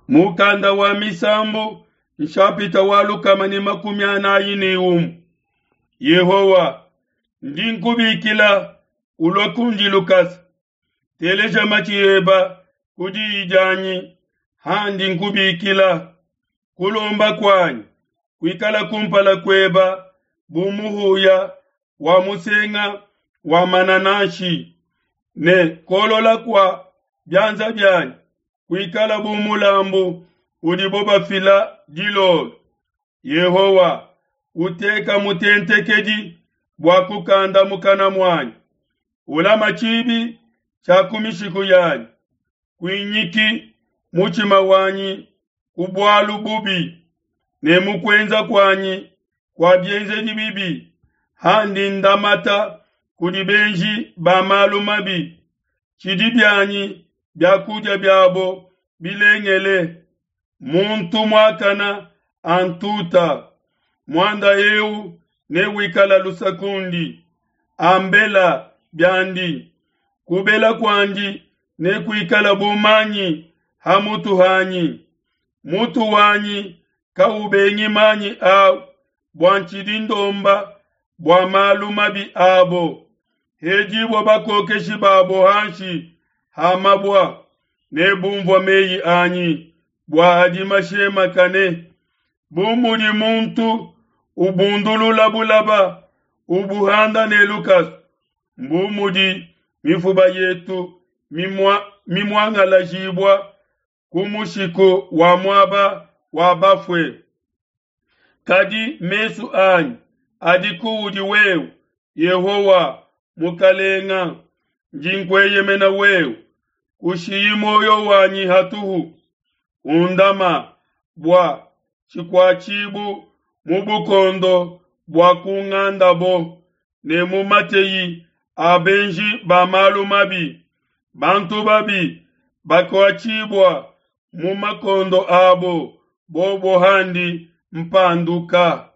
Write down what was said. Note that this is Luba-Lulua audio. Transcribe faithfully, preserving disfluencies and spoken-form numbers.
Mukanda wa Misambu nshapita wa lukama ne makumi anayi ne umue. Yehowa, ndi nkubikila, ulua kundi lukasa. Teleja matshi eba ku diyi dianyi handi nkubikila. Kulomba kuanyi kuikala kumpala kueba bu muhuya wa musenga wa manananshi, ne kolola kua bianza bianyi kuikala bu mulambu udibo bafila dilolo. Yehowa, uteka mutentekedi bua kukanda mukana muanyi, ulama tshibi tshia ku mishiku yanyi. Kuinyiki mutshima wanyi ku bualu bubi, ne mu kuenza kuanyi kua bienzedi bibi, handi ndamata kudi benji ba malu mabi. Tshidi bianyi biakudia biabo bilengele, muntu muakana antuta. Muanda eu newikala lusa kundi, ambela biandi. Kubela kuandi nekuikala bu manyi ha mutu hanyi. Mutu wanyi kaubengi manyi au, bua ntshidi ndomba bua malu mabi abo. Hedibua bakokeshi babo hanshi ha mabua, ne bumvua meyi anyi bua adi mashemakane. Bu mudi muntu ubundulula bulaba, ubuhanda ne lukasu, mbu mudi mifuba yetu mimua, mimuangalajibua ku mushiku wa muaba wa bafue. Kadi mesu anyi adi kuudi wewe, Yehowa Mukalenga, ndi nkueyemena wewe. Kushiyi muoyo wanyi hatuhu, undama bua tshikuatshibu mu bukondo bua kungandabo, ne mu mateyi a benji ba malu mabi. Bantu babi bakuatshibua mu makondo abo, bobo handi mpanduka.